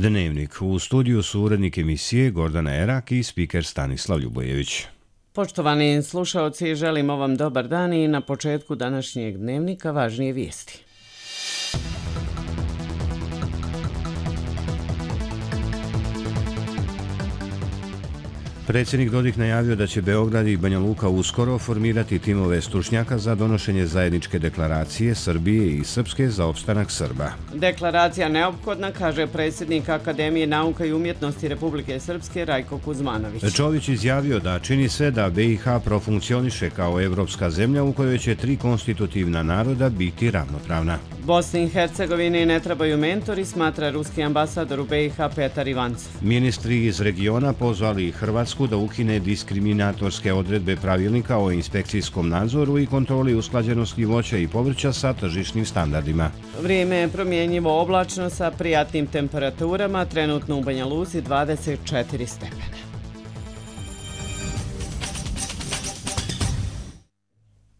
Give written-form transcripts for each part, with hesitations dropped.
Dnevnik. U studiju su urednik emisije Gordana Erak i spiker Stanislav Ljubojević. Poštovani slušaoci, želimo vam dobar dan i na početku današnjeg dnevnika važnije vijesti. Predsjednik Dodik najavio da će Beograd i Banja Luka uskoro formirati timove stručnjaka za donošenje zajedničke deklaracije Srbije i Srpske za opstanak Srba. Deklaracija neophodna, kaže predsjednik Akademije nauka i umjetnosti Republike Srpske Rajko Kuzmanović. Čović izjavio da čini sve da BiH profunkcioniše kao evropska zemlja u kojoj će 3 konstitutivna naroda biti ravnopravna. Bosni i Hercegovini ne trebaju mentori, smatra ruski ambasador u BiH Petar Ivancov. Ministri iz regiona pozvali Hrvatsku da ukine diskriminatorske odredbe pravilnika o inspekcijskom nadzoru i kontroli usklađenosti voća i povrća sa tržišnim standardima. Vrijeme je promjenjivo oblačno sa prijatnim temperaturama, trenutno u Banja Luci 24 stepena.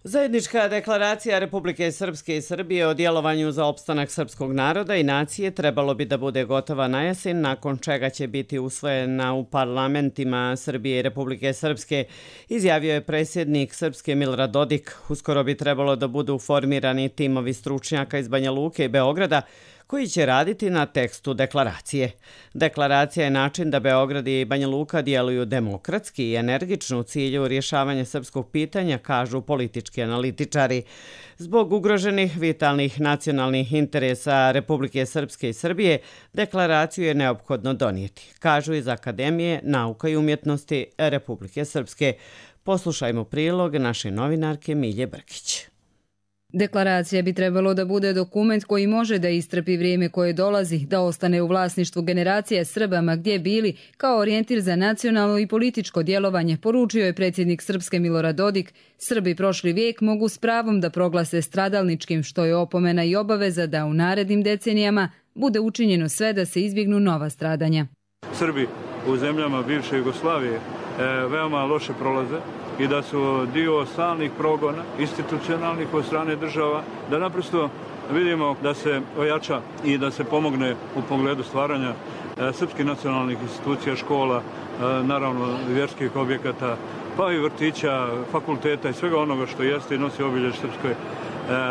Zajednička deklaracija Republike Srpske i Srbije o djelovanju za opstanak srpskog naroda i nacije trebalo bi da bude gotova na jesen, nakon čega će biti usvojena u parlamentima Srbije i Republike Srpske, izjavio je predsjednik Srpske Milorad Dodik. Uskoro bi trebalo da budu formirani timovi stručnjaka iz Banja Luke i Beograda koji će raditi na tekstu deklaracije. Deklaracija je način da Beograd i Banja Luka djeluju demokratski i energično u cilju rješavanja srpskog pitanja, kažu politički analitičari. Zbog ugroženih vitalnih nacionalnih interesa Republike Srpske i Srbije, deklaraciju je neophodno donijeti, kažu iz Akademije nauka i umjetnosti Republike Srpske. Poslušajmo prilog naše novinarke Milje Brkić. Deklaracija bi trebalo da bude dokument koji može da istrpi vrijeme koje dolazi, da ostane u vlasništvu generacije Srbama gdje bili, kao orijentir za nacionalno i političko djelovanje, poručio je predsjednik Srpske Milorad Dodik. Srbi prošli vijek mogu s pravom da proglase stradalničkim, što je opomena i obaveza da u narednim decenijama bude učinjeno sve da se izbjegnu nova stradanja. Srbi u zemljama bivše Jugoslavije veoma loše prolaze i da su dio stalnih progona, institucionalnih od strane država, da naprosto vidimo da se ojača i da se pomogne u pogledu stvaranja srpskih nacionalnih institucija, škola, naravno vjerskih objekata, pa i vrtića, fakulteta i svega onoga što jeste i nosi obiljež srpske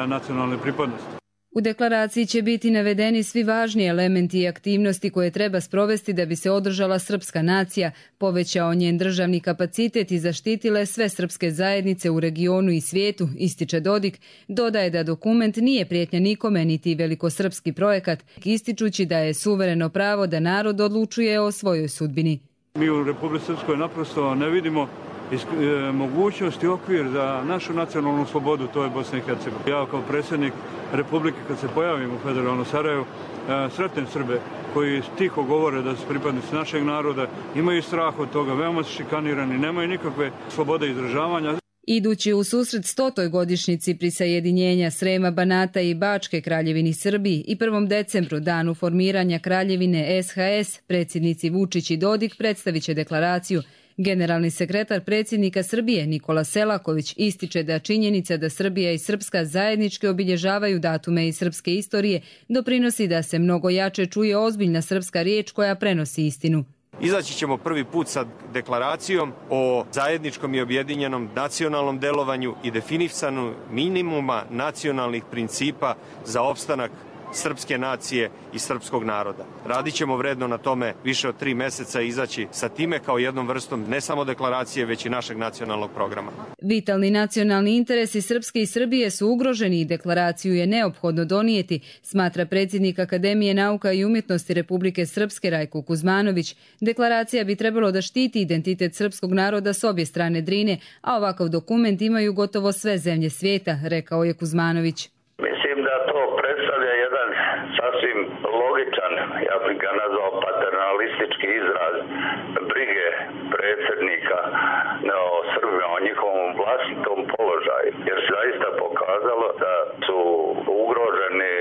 nacionalne pripadnosti. U deklaraciji će biti navedeni svi važni elementi i aktivnosti koje treba sprovesti da bi se održala srpska nacija, povećao njen državni kapacitet i zaštitile sve srpske zajednice u regionu i svijetu, ističe Dodik. Dodaje da dokument nije prijetnja nikome niti velikosrpski projekat, ističući da je suvereno pravo da narod odlučuje o svojoj sudbini. Mi u Republici Srpskoj naprosto ne vidimo mogućnost i okvir za našu nacionalnu slobodu, to je Bosna i Hercegovina. Ja kao predsjednik Republike, kad se pojavim u federalnom Sarajevu, sretnem Srbe koji tiho govore da su pripadnici našeg naroda, imaju strah od toga, veoma su šikanirani, nemaju nikakve slobode izražavanja. Idući u susret 100. godišnjici prisajedinjenja Srema, Banata i Bačke kraljevini Srbiji i 1. decembru, danu formiranja kraljevine SHS, predsjednici Vučić i Dodik predstavit će deklaraciju. Generalni sekretar predsjednika Srbije Nikola Selaković ističe da činjenica da Srbija i Srpska zajednički obilježavaju datume iz srpske istorije doprinosi da se mnogo jače čuje ozbiljna srpska riječ koja prenosi istinu. Izaći ćemo prvi put sa deklaracijom o zajedničkom i objedinjenom nacionalnom delovanju i definisanu minimuma nacionalnih principa za opstanak srpske nacije i srpskog naroda. Radit ćemo vredno na tome više od 3 mjeseca i izaći sa time kao jednom vrstom ne samo deklaracije, već i našeg nacionalnog programa. Vitalni nacionalni interesi Srpske i Srbije su ugroženi i deklaraciju je neophodno donijeti, smatra predsjednik Akademije nauka i umjetnosti Republike Srpske Rajko Kuzmanović. Deklaracija bi trebalo da štiti identitet srpskog naroda s obje strane Drine, a ovakav dokument imaju gotovo sve zemlje svijeta, rekao je Kuzmanović. Mislim da to predstavlja jedan sasvim logičan, ja bih ga nazvao paternalistički izraz brige predsjednika o Srbima, o njihovom vlastitom položaju, jer se zaista pokazalo da su ugroženi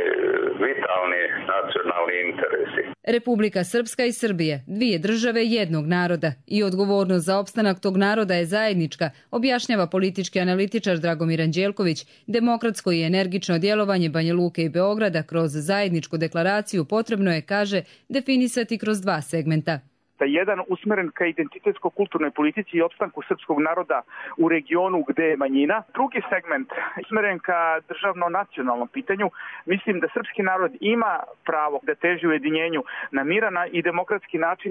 vitalni nacionalni interesi. Republika Srpska i Srbije, dvije države jednog naroda i odgovornost za opstanak tog naroda je zajednička, objašnjava politički analitičar Dragomir Anđelković. Demokratsko i energično djelovanje Banja Luke i Beograda kroz zajedničku deklaraciju potrebno je, kaže, definisati kroz dva segmenta. Jedan usmeren ka identitetsko-kulturnoj politici i opstanku srpskog naroda u regionu gde je manjina. Drugi segment usmeren ka državno-nacionalnom pitanju. Mislim da srpski narod ima pravo da teži ujedinjenju na miran i demokratski način.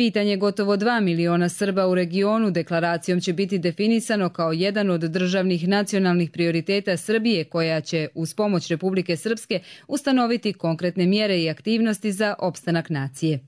Pitanje gotovo 2 miliona Srba u regionu deklaracijom će biti definisano kao jedan od državnih nacionalnih prioriteta Srbije, koja će uz pomoć Republike Srpske ustanoviti konkretne mjere i aktivnosti za opstanak nacije.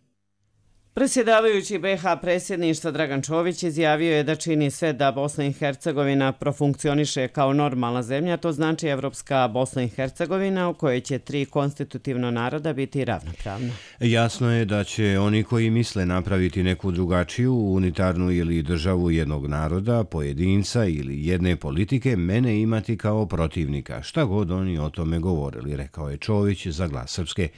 Predsjedavajući BiH predsjedništva Dragan Čović izjavio je da čini sve da Bosna i Hercegovina profunkcioniše kao normalna zemlja, to znači evropska Bosna i Hercegovina u kojoj će 3 konstitutivna naroda biti ravnopravna. Jasno je da će oni koji misle napraviti neku drugačiju, unitarnu ili državu jednog naroda, pojedinca ili jedne politike, mene imati kao protivnika, šta god oni o tome govorili, rekao je Čović za Glas Srpske.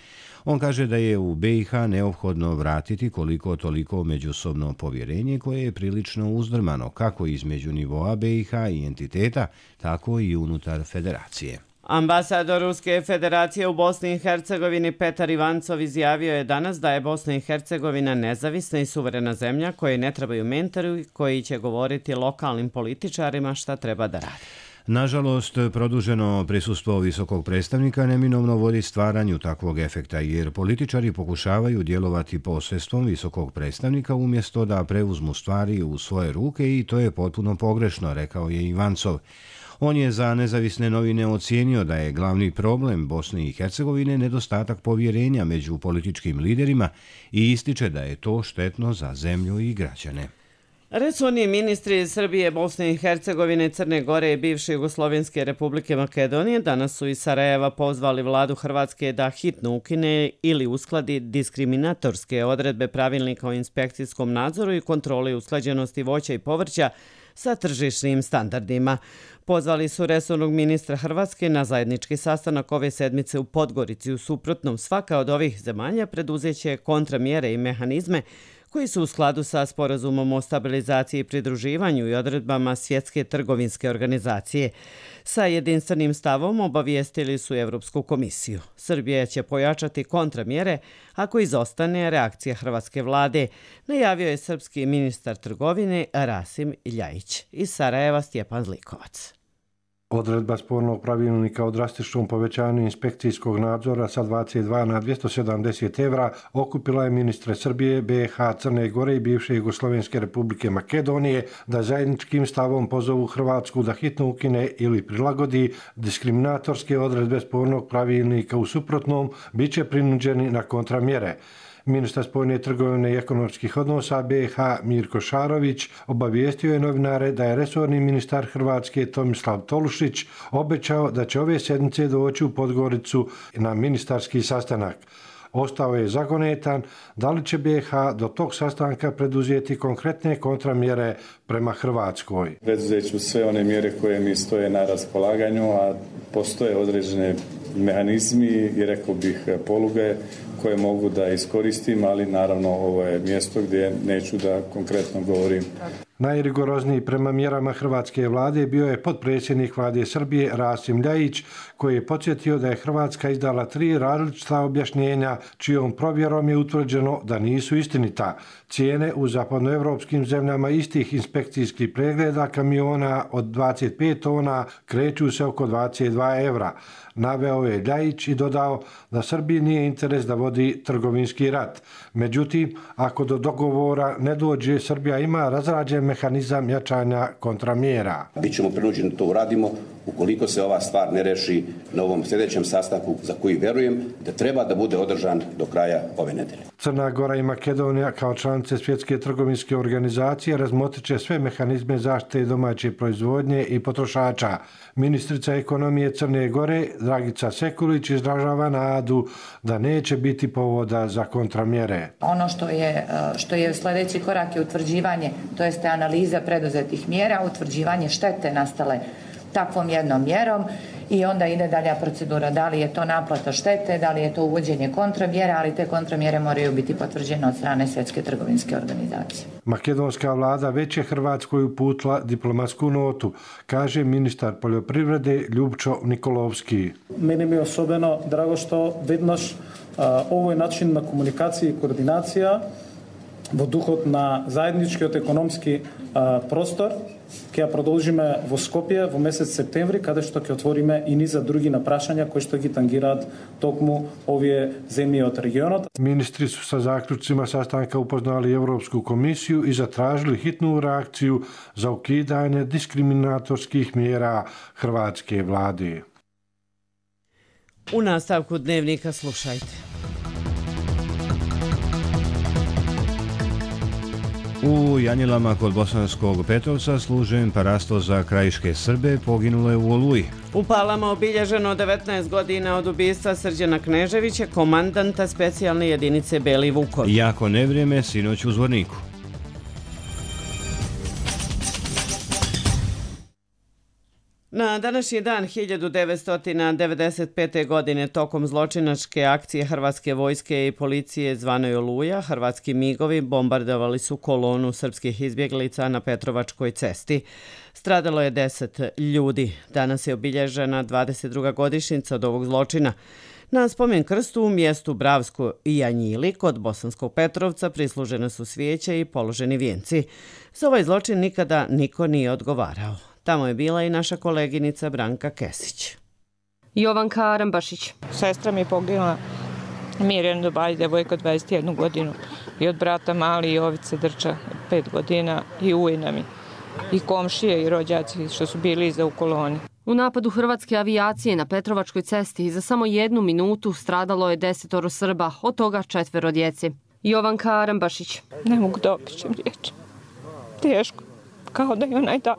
On kaže da je u BiH neophodno vratiti koliko toliko međusobno povjerenje koje je prilično uzdrmano kako između nivoa BiH i entiteta, tako i unutar federacije. Ambasador Ruske federacije u Bosni i Hercegovini Petar Ivancov izjavio je danas da je Bosna i Hercegovina nezavisna i suverena zemlja koje ne trebaju mentori koji će govoriti lokalnim političarima šta treba da rade. Nažalost, produženo prisustvo visokog predstavnika neminovno vodi stvaranju takvog efekta, jer političari pokušavaju djelovati posredstvom visokog predstavnika umjesto da preuzmu stvari u svoje ruke i to je potpuno pogrešno, rekao je Ivancov. On je za Nezavisne novine ocijenio da je glavni problem Bosne i Hercegovine nedostatak povjerenja među političkim liderima i ističe da je to štetno za zemlju i građane. Resorni ministri Srbije, Bosne i Hercegovine, Crne Gore i bivše Jugoslovenske Republike Makedonije danas su iz Sarajeva pozvali vladu Hrvatske da hitno ukine ili uskladi diskriminatorske odredbe pravilnika o inspekcijskom nadzoru i kontroli usklađenosti voća i povrća sa tržišnim standardima. Pozvali su resornog ministra Hrvatske na zajednički sastanak ove sedmice u Podgorici. U suprotnom, svaka od ovih zemalja preduzeće kontramjere i mehanizme koji su u skladu sa sporazumom o stabilizaciji i pridruživanju i odredbama Svjetske trgovinske organizacije. Sa jedinstvenim stavom obavijestili su Evropsku komisiju. Srbija će pojačati kontramjere ako izostane reakcija hrvatske vlade, najavio je srpski ministar trgovine Rasim Ljajić. Iz Sarajeva Stjepan Zlikovac. Odredba spornog pravilnika o drastičnom povećanju inspekcijskog nadzora sa 22 na 270 evra okupila je ministre Srbije, BiH, Crne Gore i bivše Jugoslovenske Republike Makedonije da zajedničkim stavom pozovu Hrvatsku da hitno ukine ili prilagodi diskriminatorske odredbe spornog pravilnika. U suprotnom, bit će prinuđeni na kontramjere. Ministar spoljne trgovine i ekonomskih odnosa BiH Mirko Šarović obavijestio je novinare da je resorni ministar Hrvatske Tomislav Tolušić obećao da će ove sedmice doći u Podgoricu na ministarski sastanak. Ostao je zagonetan da li će BiH do tog sastanka preduzeti konkretne kontramjere prema Hrvatskoj. Preduzeću sve one mjere koje mi stoje na raspolaganju, a postoje određene mehanizmi i rekao bih poluge koje mogu da iskoristim, ali naravno ovo je mjesto gdje neću da konkretno govorim. Najrigorozniji prema mjerama hrvatske vlade bio je potpredsjednik vlade Srbije Rasim Ljajić, koji je podsjetio da je Hrvatska izdala 3 različita objašnjenja čijom provjerom je utvrđeno da nisu istinita. Cijene u zapadnoevropskim zemljama istih inspekcijskih pregleda kamiona od 25 tona kreću se oko 22 evra. Naveo je Ljajić i dodao da Srbiji nije interes da vodi trgovinski rat. Međutim, ako do dogovora ne dođe, Srbija ima razrađen mehanizam jačanja kontramjera. Bićemo prinuđeni da to uradimo ukoliko se ova stvar ne reši na ovom sljedećem sastanku za koji verujem da treba da bude održan do kraja ove nedelje. Crna Gora i Makedonija kao članice Svjetske trgovinske organizacije razmotriće sve mehanizme zaštite domaće proizvodnje i potrošača. Ministrica ekonomije Crne Gore Dragica Sekulić izražava nadu da neće biti povoda za kontramjere. Ono što je sljedeći korak je utvrđivanje, to jeste analiza preduzetih mjera, utvrđivanje štete nastale takvom jednom mjerom i onda ide dalja procedura. Da li je to naplata štete, da li je to uvođenje kontramjera, ali te kontramjere moraju biti potvrđene od strane Svjetske trgovinske organizacije. Makedonska vlada već je Hrvatskoj uputila diplomatsku notu, kaže ministar poljoprivrede Ljubčo Nikolovski. Meni mi je osobeno drago što vednoš ovo je način na komunikaciji i koordinacija v duhu na zajednički ekonomski prostor, ki продолжиме во Скопје во месец септември, каде што ќе отвориме и низа други напрашања кои што ги тангираат токму овие земји од регионот. Ministri su sa zaključcima sastanka upoznali Europsku komisiju i zatražili hitnu reakciju za ukidanje diskriminatorskih mjera hrvatske vlade. U nastavku dnevnika slušajte. U Janjelama kod Bosanskog Petrovca služen parasto za krajiške Srbe poginulo je u Oluji. U Palama obilježeno 19 godina od ubistva Srđana Kneževića, komandanta specijalne jedinice Beli Vukovi. Jako nevrijeme sinoć u Zvorniku. Na današnji dan 1995. godine tokom zločinačke akcije Hrvatske vojske i policije zvanoj Oluja, hrvatski migovi bombardovali su kolonu srpskih izbjeglica na Petrovačkoj cesti. Stradalo je 10 ljudi. Danas je obilježena 22. godišnjica od ovog zločina. Na spomen krstu u mjestu Bravsko i Janjili kod Bosanskog Petrovca prislužene su svijeće i položeni vijenci. Za ovaj zločin nikada niko nije odgovarao. Tamo je bila i naša koleginica Branka Kesić. Jovanka Arambašić. Sestra mi je poginula, Mirjana Dobaj, devojka 21 godinu. I od brata Mali Jovice Drča 5 godina i ujna mi. I komšije i rođaci što su bili iza u koloni. U napadu hrvatske avijacije na Petrovačkoj cesti za samo 1 minutu stradalo je 10 Srba, od toga 4 djece. Jovanka Arambašić. Ne mogu da opišem riječi. Teško, kao da je onaj dan.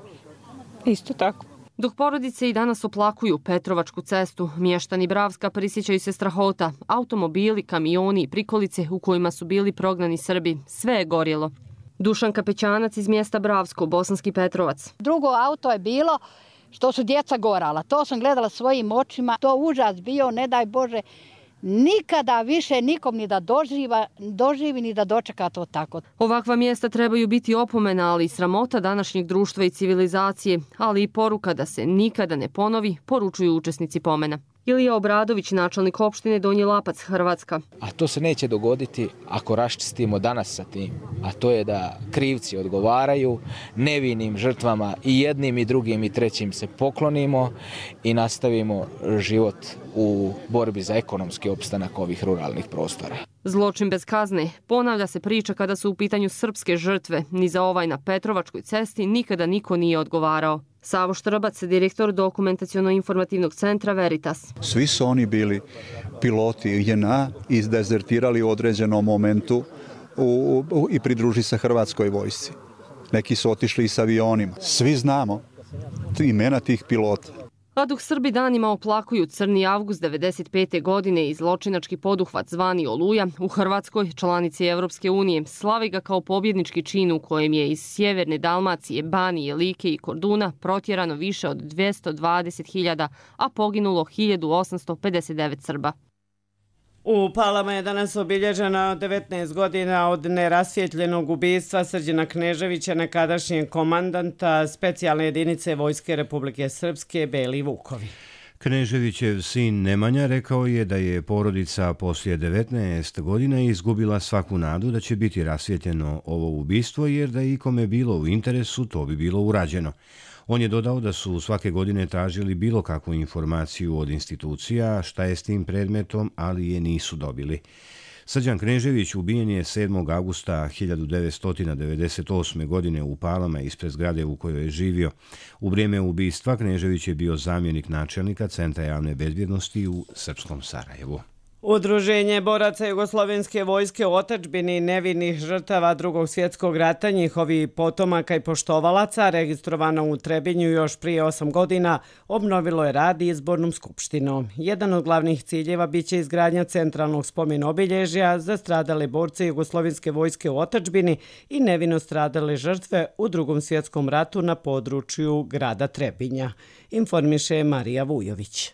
Isto tako. Dok porodice i danas oplakuju Petrovačku cestu, mještani Bravska prisjećaju se strahota. Automobili, kamioni i prikolice u kojima su bili prognani Srbi. Sve je gorjelo. Dušanka Pećanac iz mjesta Bravsko, Bosanski Petrovac. Drugo auto je bilo što su djeca gorala. To sam gledala svojim očima. To užas bio, ne daj Bože, nikada više nikom ni da doživi ni da dočeka to tako. Ovakva mjesta trebaju biti opomena, ali i sramota današnjeg društva i civilizacije, ali i poruka da se nikada ne ponovi, poručuju učesnici pomena. Ilija Obradović, načelnik opštine Donji Lapac, Hrvatska. A to se neće dogoditi ako raščistimo danas sa tim, a to je da krivci odgovaraju, nevinim žrtvama i jednim i drugim i trećim se poklonimo i nastavimo život u borbi za ekonomski opstanak ovih ruralnih prostora. Zločin bez kazne. Ponavlja se priča kada su u pitanju srpske žrtve. Ni za ovaj na Petrovačkoj cesti nikada niko nije odgovarao. Savo Štrbac, direktor dokumentaciono-informativnog centra Veritas. Svi su oni bili piloti JNA i dezertirali u određenom momentu i pridružili se Hrvatskoj vojsci. Neki su otišli i s avionima. Svi znamo imena tih pilota. A dok Srbi danima oplakuju Crni avgust 1995. godine i zločinački poduhvat zvani Oluja, u Hrvatskoj, članici Evropske unije, slavi ga kao pobjednički čin u kojem je iz sjeverne Dalmacije, Banije, Like i Korduna protjerano više od 220.000, a poginulo 1859 Srba. U Palama je danas obilježena 19 godina od nerasvjetljenog ubistva Srđana Kneževića, nekadašnjeg komandanta specijalne jedinice Vojske Republike Srpske Beli Vukovi. Kneževićev sin Nemanja rekao je da je porodica poslije 19 godina izgubila svaku nadu da će biti rasvjetljeno ovo ubistvo, jer da je ikome bilo u interesu, to bi bilo urađeno. On je dodao da su svake godine tražili bilo kakvu informaciju od institucija šta je s tim predmetom, ali je nisu dobili. Srđan Knežević ubijen je 7. augusta 1998. godine u Palama ispred zgrade u kojoj je živio. U vrijeme ubistva Knežević je bio zamjenik načelnika Centra javne bezbjednosti u Srpskom Sarajevu. Udruženje boraca Jugoslovenske vojske u otadžbini nevinih žrtava Drugog svjetskog rata, njihovi potomaka i poštovalaca, registrovano u Trebinju još prije 8 godina, obnovilo je rad izbornom skupštinom. Jedan od glavnih ciljeva biće izgradnja centralnog spomen obilježja za stradale borce Jugoslovenske vojske u otadžbini i nevino stradale žrtve u Drugom svjetskom ratu na području grada Trebinja, informiše Marija Vujović.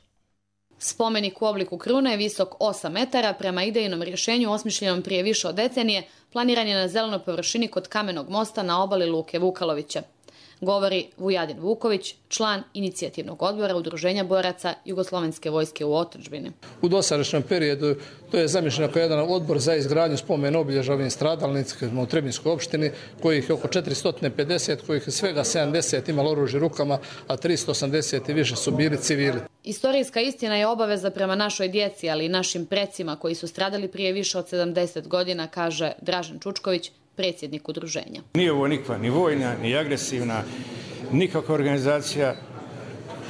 Spomenik u obliku krune je visok 8 metara, prema idejnom rješenju osmišljenom prije više od decenije, planiran je na zelenoj površini kod Kamenog mosta na obali luke Vukalovića. Govori Vujadin Vuković, član inicijativnog odbora Udruženja boraca Jugoslovenske vojske u otadžbini. U dosadašnjem periodu to je zamišljeno kao jedan odbor za izgradnju spomen obilježja ovim stradalnicima u Trebinjskoj opštini, kojih je oko 450, kojih je svega 70 imalo oružje rukama, a 380 i više su bili civili. Istorijska istina je obaveza prema našoj djeci, ali i našim precima koji su stradali prije više od 70 godina, kaže Dražen Čučković, predsjednik udruženja. Nije ovo nikva ni vojna, ni agresivna, nikakva organizacija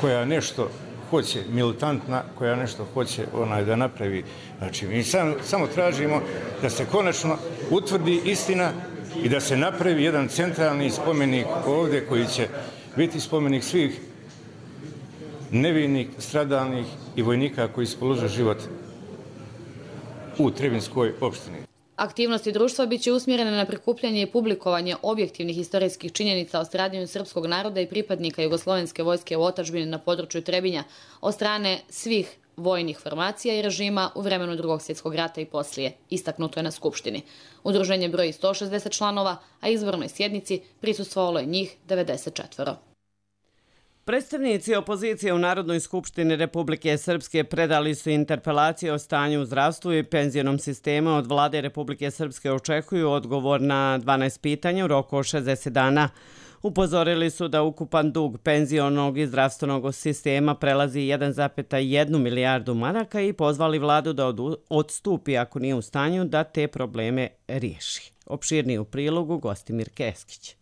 koja nešto hoće, militantna, koja nešto hoće da napravi. Znači, mi samo tražimo da se konačno utvrdi istina i da se napravi jedan centralni spomenik ovdje koji će biti spomenik svih nevinih, stradalnih i vojnika koji su položili život u Trebinjskoj opštini. Aktivnosti društva biće usmjerene na prikupljanje i publikovanje objektivnih historijskih činjenica o stradanju srpskog naroda i pripadnika Jugoslovenske vojske u otadžbini na području Trebinja od strane svih vojnih formacija i režima u vremenu Drugog svjetskog rata i poslije, istaknuto je na Skupštini. Udruženje broji 160 članova, a izbornoj sjednici prisustvovalo je njih 94. Predstavnici opozicije u Narodnoj skupštini Republike Srpske predali su interpelaciju o stanju u zdravstvu i penzionom sistemu. Od vlade Republike Srpske očekuju odgovor na 12 pitanja u roku od 60 dana. Upozorili su da ukupan dug penzionog i zdravstvenog sistema prelazi 1,1 milijardu maraka i pozvali vladu da odstupi ako nije u stanju da te probleme riješi. Opširniji u prilogu Gostimir Keskić.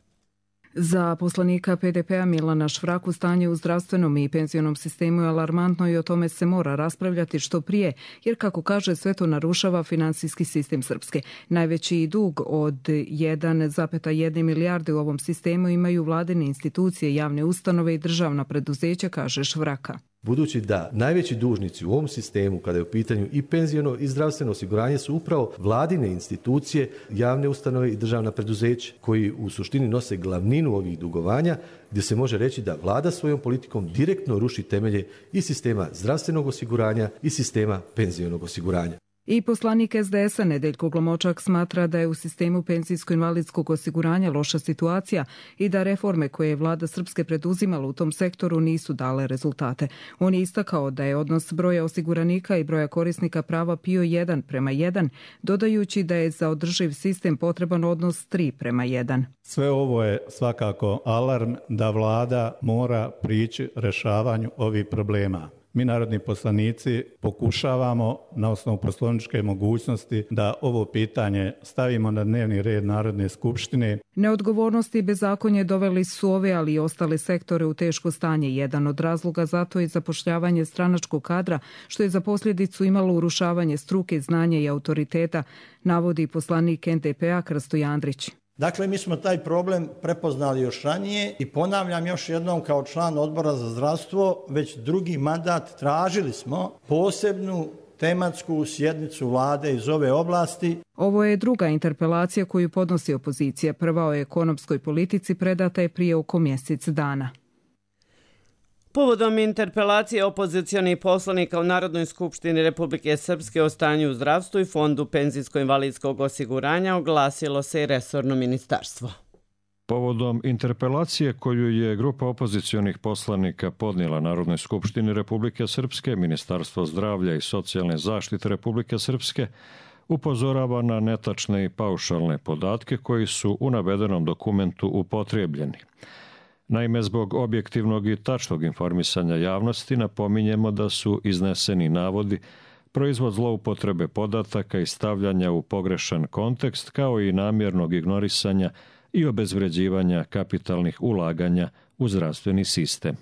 Za poslanika PDP-a Milana Švraku stanje u zdravstvenom i penzionom sistemu je alarmantno i o tome se mora raspravljati što prije, jer kako kaže sve to narušava finansijski sistem Srpske. Najveći dug od 1,1 milijarde u ovom sistemu imaju vladine institucije, javne ustanove i državna preduzeća, kaže Švraka. Budući da najveći dužnici u ovom sistemu, kada je u pitanju i penziono i zdravstveno osiguranje, su upravo vladine institucije, javne ustanove i državna preduzeća, koji u suštini nose glavninu ovih dugovanja, gdje se može reći da vlada svojom politikom direktno ruši temelje i sistema zdravstvenog osiguranja i sistema penzionog osiguranja. I poslanik SDS-a Nedeljko Glomočak smatra da je u sistemu penzijsko-invalidskog osiguranja loša situacija i da reforme koje je vlada Srpske preduzimala u tom sektoru nisu dale rezultate. On je istakao da je odnos broja osiguranika i broja korisnika prava PIO 1:1, dodajući da je za održiv sistem potreban odnos 3:1. Sve ovo je svakako alarm da vlada mora prići rješavanju ovih problema. Mi, narodni poslanici, pokušavamo na osnovu poslovničke mogućnosti da ovo pitanje stavimo na dnevni red Narodne skupštine. Neodgovornosti i bezakonje doveli su ove, ali i ostale sektore u teško stanje. Jedan od razloga zato je zapošljavanje stranačkog kadra, što je za posljedicu imalo urušavanje struke, znanja i autoriteta, navodi poslanik NDP-a Krsto Jandrić. Dakle, mi smo taj problem prepoznali još ranije i ponavljam još jednom kao član odbora za zdravstvo, već drugi mandat tražili smo posebnu tematsku sjednicu vlade iz ove oblasti. Ovo je druga interpelacija koju podnosi opozicija. Prva o ekonomskoj politici predata je prije oko mjesec dana. Povodom interpelacije opozicionih poslanika u Narodnoj skupštini Republike Srpske o stanju u zdravstvu i Fondu penzijsko-invalidskog osiguranja oglasilo se i resorno ministarstvo. Povodom interpelacije koju je grupa opozicionih poslanika podnijela Narodnoj skupštini Republike Srpske, Ministarstvo zdravlja i socijalne zaštite Republike Srpske upozorava na netačne i paušalne podatke koji su u navedenom dokumentu upotrijebljeni. Naime, zbog objektivnog i tačnog informisanja javnosti napominjemo da su izneseni navodi proizvod zloupotrebe podataka i stavljanja u pogrešan kontekst, kao i namjernog ignorisanja i obezvređivanja kapitalnih ulaganja u zdravstveni sistem.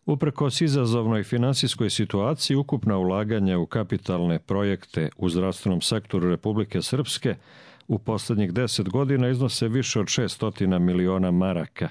Uprkos izazovnoj finansijskoj situaciji, ukupna ulaganja u kapitalne projekte u zdravstvenom sektoru Republike Srpske u posljednjih 10 godina iznose više od 600 miliona maraka,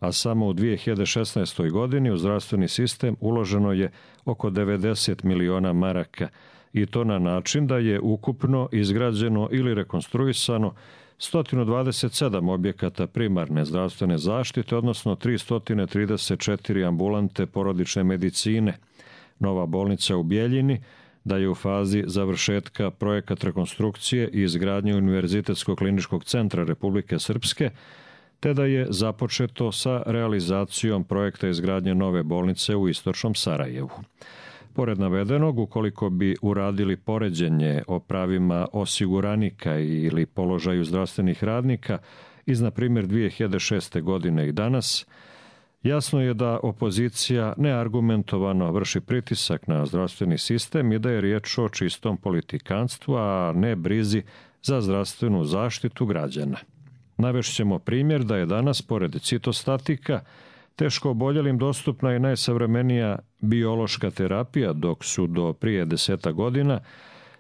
a samo u 2016. godini u zdravstveni sistem uloženo je oko 90 miliona maraka, i to na način da je ukupno izgrađeno ili rekonstruisano 127 objekata primarne zdravstvene zaštite, odnosno 334 ambulante porodične medicine, nova bolnica u Bjeljini, da je u fazi završetka projekat rekonstrukcije i izgradnje Univerzitetskog kliničkog centra Republike Srpske, te da je započeto sa realizacijom projekta izgradnje nove bolnice u istočnom Sarajevu. Pored navedenog, ukoliko bi uradili poređenje o pravima osiguranika ili položaju zdravstvenih radnika iz, na primjer, 2006. godine i danas, jasno je da opozicija neargumentovano vrši pritisak na zdravstveni sistem i da je riječ o čistom politikanstvu, a ne brizi za zdravstvenu zaštitu građana. Navešćemo primjer da je danas, pored citostatika, teško oboljelim dostupna i najsavremenija biološka terapija, dok su do prije 10 godina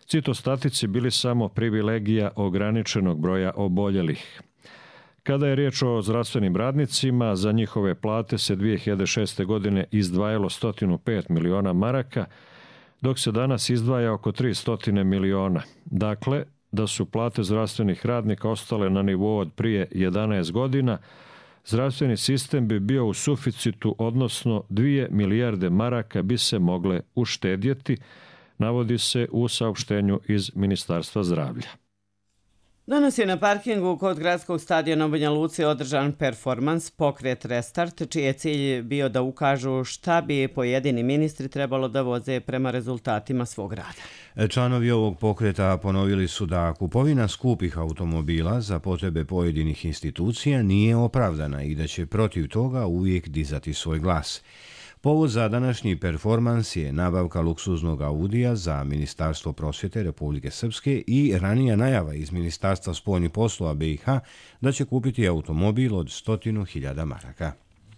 citostatici bili samo privilegija ograničenog broja oboljelih. Kada je riječ o zdravstvenim radnicima, za njihove plate se 2006. godine izdvajalo 105 miliona maraka, dok se danas izdvaja oko 300 miliona. Dakle, da su plate zdravstvenih radnika ostale na nivou od prije 11 godina, zdravstveni sistem bi bio u suficitu, odnosno 2 milijarde maraka bi se mogle uštedjeti, navodi se u saopštenju iz Ministarstva zdravlja. Danas je na parkingu kod gradskog stadiona u Banja Luci održan performans Pokret Restart, čiji je cilj bio da ukažu šta bi pojedini ministri trebalo da voze prema rezultatima svog rada. Članovi ovog pokreta ponovili su da kupovina skupih automobila za potrebe pojedinih institucija nije opravdana i da će protiv toga uvijek dizati svoj glas. Povod za današnji performans je nabavka luksuznog Audija za Ministarstvo prosvjete Republike Srpske i ranija najava iz Ministarstva spoljnih poslova BiH da će kupiti automobil od 100.000 maraka.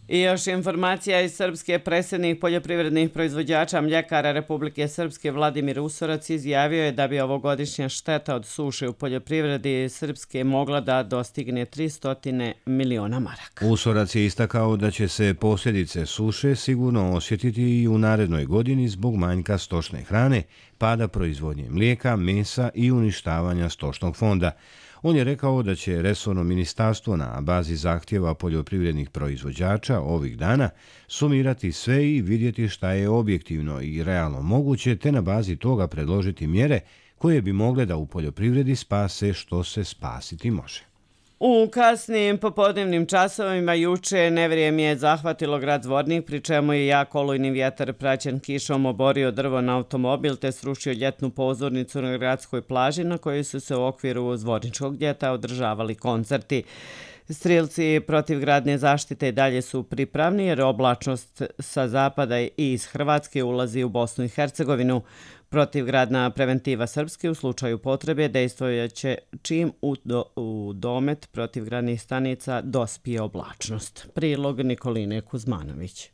I još informacija iz Srpske. Predsjednik poljoprivrednih proizvođača mljekara Republike Srpske Vladimir Usorac izjavio je da bi ovogodišnja šteta od suše u poljoprivredi Srpske mogla da dostigne 300 miliona maraka. Usorac je istakao da će se posljedice suše sigurno osjetiti i u narednoj godini zbog manjka stočne hrane, pada proizvodnje mlijeka, mesa i uništavanja stočnog fonda. On je rekao da će resorno ministarstvo na bazi zahtjeva poljoprivrednih proizvođača ovih dana sumirati sve i vidjeti šta je objektivno i realno moguće, te na bazi toga predložiti mjere koje bi mogle da u poljoprivredi spase što se spasiti može. U kasnim popodnevnim časovima juče nevrijem je zahvatilo grad Zvornik, pri čemu je jak olujni vjetar praćen kišom oborio drvo na automobil te srušio ljetnu pozornicu na gradskoj plaži na kojoj su se u okviru Zvorničkog ljeta održavali koncerti. Strilci protivgradne zaštite dalje su pripravni jer oblačnost sa zapada i iz Hrvatske ulazi u Bosnu i Hercegovinu. Protivgradna preventiva Srpske u slučaju potrebe dejstvojaće čim u domet protivgradnih stanica dospije oblačnost. Prilog Nikoline Kuzmanović.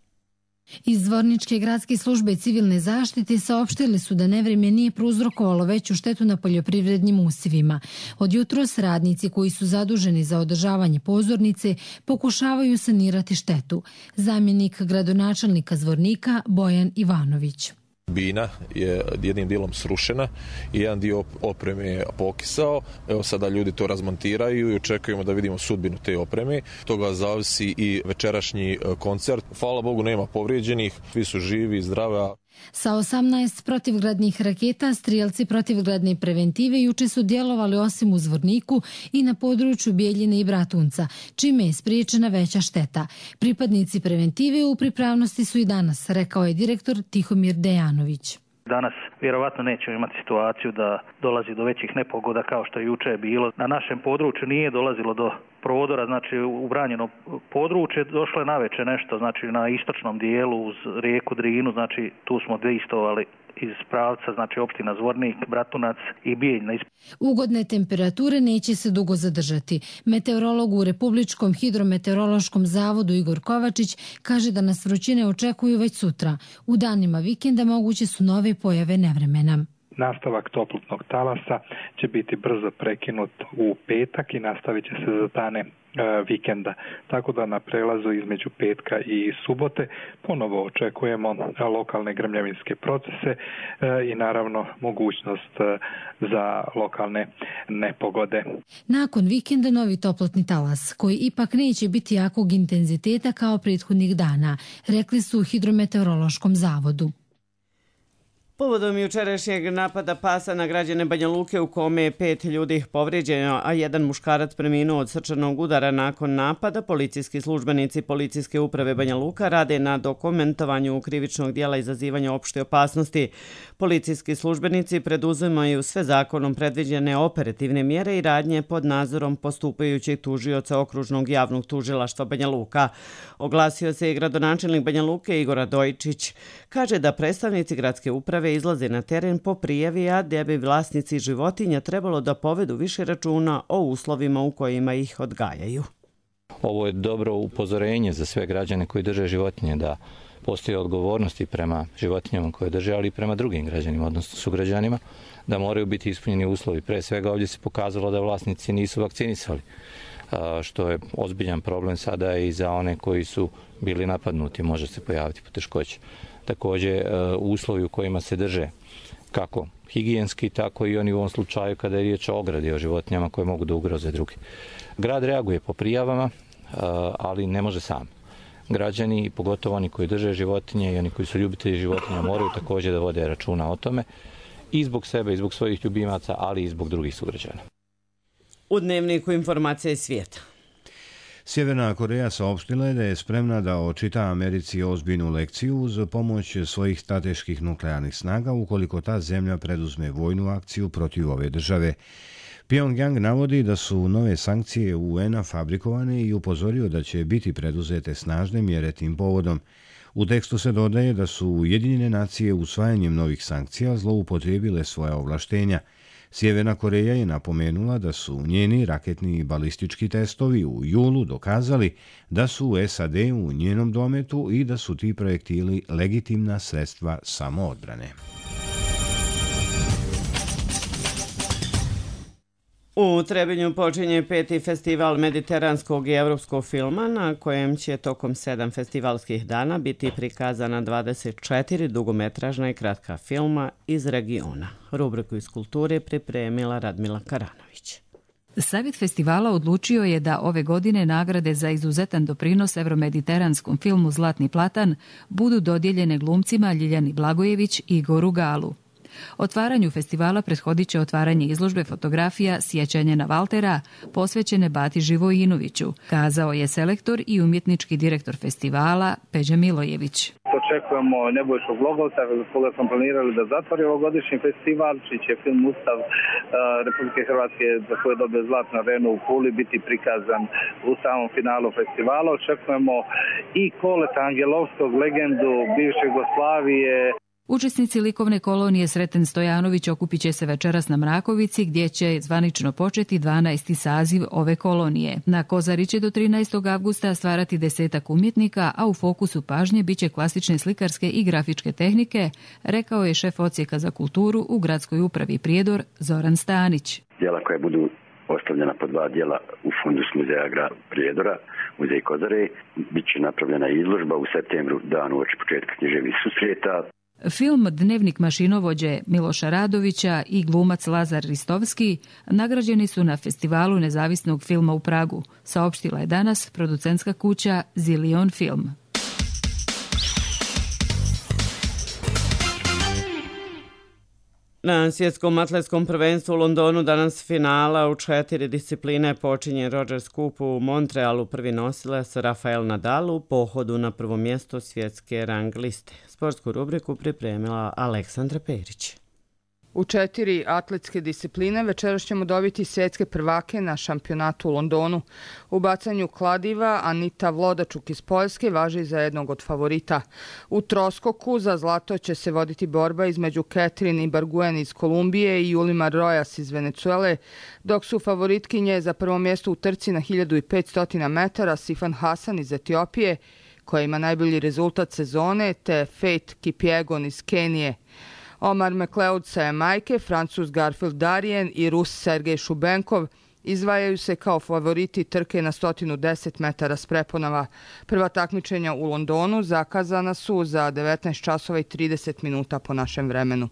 Iz Zvorničke gradske službe civilne zaštite saopštili su da nevrijeme nije prouzrokovalo veću štetu na poljoprivrednim usjevima. Od jutros radnici koji su zaduženi za održavanje pozornice pokušavaju sanirati štetu. Zamjenik gradonačelnika Zvornika Bojan Ivanović. Bina je jednim dijelom srušena i jedan dio opreme je pokisao. Evo sada ljudi to razmontiraju i očekujemo da vidimo sudbinu te opreme. Toga zavisi i večerašnji koncert. Hvala Bogu nema povrijeđenih, svi su živi i zdravi. Sa 18 protivgradnih raketa strijelci protivgradne preventive juče su djelovali osim u Zvorniku i na području Bijeljine i Bratunca, čime je spriječena veća šteta. Pripadnici preventive u pripravnosti su i danas, rekao je direktor Tihomir Dejanović. Danas vjerovatno nećemo imati situaciju da dolazi do većih nepogoda kao što je juče bilo. Na našem području nije dolazilo do prodora, znači u branjeno područje, došlo je naveče nešto, znači na istočnom dijelu uz rijeku Drinu, znači tu smo dejstovali iz pravca, znači opština Zvornik, Bratunac i Bijelj. Ugodne temperature neće se dugo zadržati. Meteorolog u Republičkom hidrometeorološkom zavodu Igor Kovačić kaže da nas vrućine očekuju već sutra. U danima vikenda moguće su nove pojave nevremena. Nastavak toplotnog talasa će biti brzo prekinut u petak i nastavit će se za dane vikenda. Tako da na prelazu između petka i subote ponovo očekujemo lokalne grmljavinske procese i naravno mogućnost za lokalne nepogode. Nakon vikenda novi toplotni talas, koji ipak neće biti jakog intenziteta kao prethodnih dana, rekli su u Hidrometeorološkom zavodu. Povodom jučerašnjeg napada pasa na građane Banja Luke u kome je 5 ljudi povrijeđeno, a jedan muškarac preminuo od srčanog udara nakon napada, policijski službenici Policijske uprave Banja Luka rade na dokumentovanju krivičnog dijela izazivanja opšte opasnosti. Policijski službenici preduzimaju sve zakonom predviđene operativne mjere i radnje pod nadzorom postupajućeg tužioca Okružnog javnog tužilaštva Banja Luka. Oglasio se i gradonačelnik Banja Luke Igor Radojčić. Kaže da predstavnici gradske uprave izlaze na teren po prijavi, a da bi vlasnici životinja trebalo da povedu više računa o uslovima u kojima ih odgajaju. Ovo je dobro upozorenje za sve građane koji drže životinje, da postoje odgovornosti prema životinjama koje drže, ali i prema drugim građanima, odnosno sugrađanima, da moraju biti ispunjeni uslovi. Pre svega ovdje se pokazalo da vlasnici nisu vakcinisali, što je ozbiljan problem sada i za one koji su bili napadnuti, može se pojaviti poteškoće. Također uslovi u kojima se drže, kako higijenski, tako i oni u ovom slučaju kada je riječ o ogradi, o životinjama koje mogu da ugroze drugi. Grad reaguje po prijavama, ali ne može sam. Građani, pogotovo oni koji drže životinje i oni koji su ljubitelji životinja, moraju također da vode računa o tome i zbog sebe, i zbog svojih ljubimaca, ali i zbog drugih sugrađana. U Dnevniku informacije iz svijeta. Sjeverna Koreja saopštila je da je spremna da očita Americi ozbiljnu lekciju uz pomoć svojih strateških nuklearnih snaga ukoliko ta zemlja preduzme vojnu akciju protiv ove države. Pyongyang navodi da su nove sankcije UN-a fabrikovane i upozorio da će biti preduzete snažne mjere tim povodom. U tekstu se dodaje da su Ujedinjene nacije usvajanjem novih sankcija zloupotrijebile svoja ovlaštenja. Sjeverna Koreja je napomenula da su njeni raketni i balistički testovi u julu dokazali da su u SAD u njenom dometu i da su ti projektili legitimna sredstva samoodbrane. U Trebinju počinje 5. festival mediteranskog i evropskog filma na kojem će tokom 7 festivalskih dana biti prikazana 24 dugometražna i kratka filma iz regiona. Rubriku iz kulture pripremila Radmila Karanović. Savjet festivala odlučio je da ove godine nagrade za izuzetan doprinos evromediteranskom filmu Zlatni platan budu dodijeljene glumcima Ljiljani Blagojević i Igoru Galu. Otvaranju festivala prethodit će otvaranje izložbe fotografija Sjećanje na Valtera, posvećene Bati Živojinoviću, kazao je selektor i umjetnički direktor festivala Peđa Milojević. Očekujemo Nebojšu Glogovca, koga smo planirali da zatvori ovogodišnji festival, čiji će film Ustav Republike Hrvatske, za koje dobije Zlatnu arenu u Puli, biti prikazan u samom finalu festivala. Očekujemo i Koleta Angelovskog, legendu bivše Jugoslavije. Učesnici likovne kolonije Sreten Stojanović okupit će se večeras na Mrakovici, gdje će zvanično početi 12. saziv ove kolonije. Na Kozari će do 13. avgusta stvarati 10 umjetnika, a u fokusu pažnje biće klasične slikarske i grafičke tehnike, rekao je šef odsjeka za kulturu u gradskoj upravi Prijedor Zoran Stanić. Djela koja budu ostavljena po 2 djela u fundus muzeja grada Prijedora, muzej Kozare, bit će napravljena izložba u septembru, dan uoči početka književnih susreta. Film Dnevnik mašinovođe Miloša Radovića i glumac Lazar Ristovski nagrađeni su na Festivalu nezavisnog filma u Pragu, saopštila je danas producentska kuća Zilion Film. Na svjetskom atletskom prvenstvu u Londonu danas finala u 4 discipline počinje Rogers Cup u Montrealu. Prvi nosilac Rafael Nadal u pohodu na prvo mjesto svjetske rang liste. Sportsku rubriku pripremila Aleksandra Perić. U 4 atletske discipline večeras ćemo dobiti svjetske prvake na šampionatu u Londonu. U bacanju kladiva Anita Vlodačuk iz Poljske važi za jednog od favorita. U troskoku za zlato će se voditi borba između Catherine Ibarguen iz Kolumbije i Yulimar Rojas iz Venecuele, dok su favoritkinje za prvo mjesto u trci na 1500 metara Sifan Hasan iz Etiopije, koja ima najbolji rezultat sezone, te Faith Kipyegon iz Kenije. Omar McLeod sa Jamajke, Francuz Garfield Darien i Rus Sergej Šubenkov izdvajaju se kao favoriti trke na 110 metara s preponama. Prva takmičenja u Londonu zakazana su za 19 časova i 30 minuta po našem vremenu.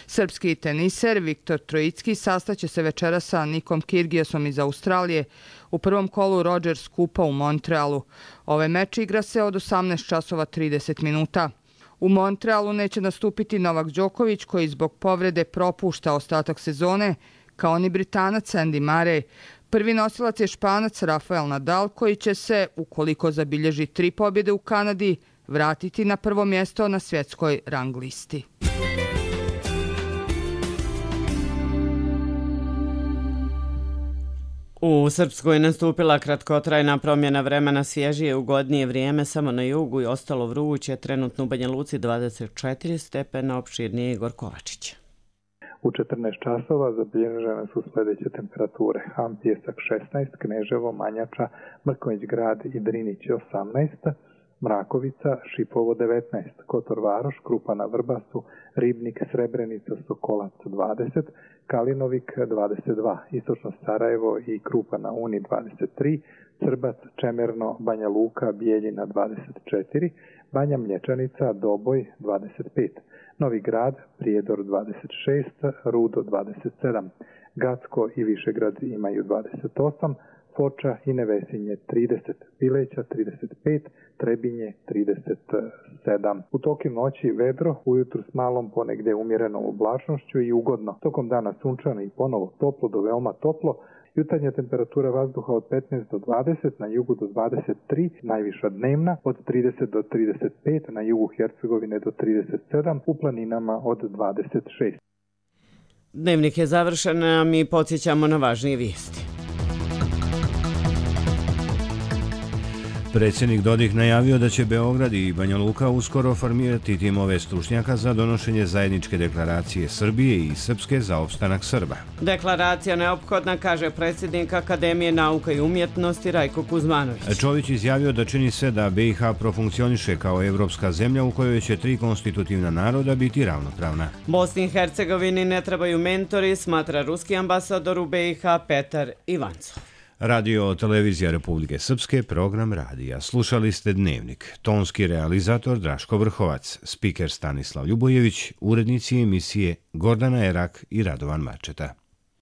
Srpski teniser Viktor Trojicki sastaće se večera sa Nikom Kyrgiasom iz Australije u prvom kolu Rogers Kupa u Montrealu. Ovaj meč igra se od 18 časova 30 minuta. U Montrealu neće nastupiti Novak Đoković, koji zbog povrede propušta ostatak sezone, kao ni Britanac Andy Murray. Prvi nosilac je Španac Rafael Nadal, koji će se, ukoliko zabilježi 3 pobjede u Kanadi, vratiti na prvo mjesto na svjetskoj rang listi. U Srpskoj je nastupila kratkotrajna promjena vremena, svježije ugodnije vrijeme samo na jugu i ostalo vruće, trenutno u Banja Luci 24 stepena, opširnije Igor Kovačić. U 14 časova zabilježene su sljedeće temperature. Ham Pjesak 16, Kneževo, Manjača, Mrkonjić Grad i Drinić 18, Mrakovica, Šipovo 19, Kotor Varoš, Krupana Vrbasu, Ribnik, Srebrenica, Sokolac 20, Kalinovik 22, Istočno Sarajevo i Krupana Uni 23, Crbac, Čemerno, Banja Luka, Bijeljina 24, Banja Mlječanica, Doboj 25, Novi Grad, Prijedor 26, Rudo 27, Gacko i Višegrad imaju 28, Foča i Nevesinje 30, Bileća 35, Trebinje 37. U toku noći vedro, ujutru s malom ponegdje umjerenom oblačnošću i ugodno. Tokom dana sunčano i ponovo toplo do veoma toplo. Jutarnja temperatura vazduha od 15 do 20, na jugu do 23, najviša dnevna od 30 do 35, na jugu Hercegovine do 37, u planinama od 26. Dnevnik je završen, a mi podsjećamo na važnije vijesti. Predsjednik Dodik najavio da će Beograd i Banja Luka uskoro formirati timove stručnjaka za donošenje zajedničke deklaracije Srbije i Srpske za opstanak Srba. Deklaracija neophodna, kaže predsjednik Akademije nauka i umjetnosti Rajko Kuzmanović. Čović izjavio da čini sve da BiH profunkcioniše kao evropska zemlja u kojoj će 3 konstitutivna naroda biti ravnopravna. Bosni i Hercegovini ne trebaju mentori, smatra ruski ambasador u BiH Petar Ivancov. Radio Televizija Republike Srpske, program radija. Slušali ste Dnevnik. Tonski realizator Draško Vrhovac, spiker Stanislav Ljubojević, urednici emisije Gordana Erak i Radovan Marčeta.